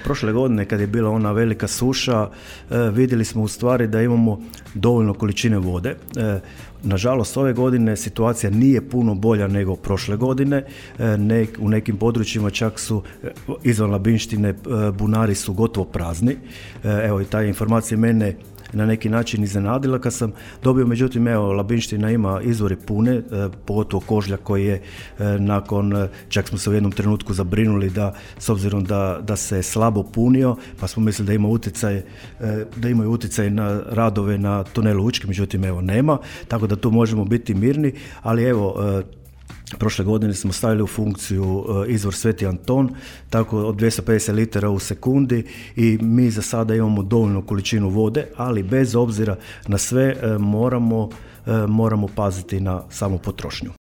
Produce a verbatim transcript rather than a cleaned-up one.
prošle godine kad je bila ona velika suša, vidjeli smo u stvari da imamo dovoljno količine vode. Nažalost, ove godine situacija nije puno bolja nego prošle godine. Ne, u nekim područjima čak su izvan Labinštine bunari su gotovo prazni. Evo i ta informacija mene na neki način iznenadila kad sam dobio, međutim evo Labinština ima izvore pune, pogotovo Kožlja koji je nakon, čak smo se u jednom trenutku zabrinuli da s obzirom da, da se slabo punio, pa smo mislili da ima utjecaj, da imaju utjecaj na radove na tunelu Učke, međutim evo nema, tako da tu možemo biti mirni, ali evo prošle godine smo stavili u funkciju izvor Sveti Anton, tako od dvjesto pedeset litara u sekundi i mi za sada imamo dovoljnu količinu vode, ali bez obzira na sve moramo, moramo paziti na samu potrošnju.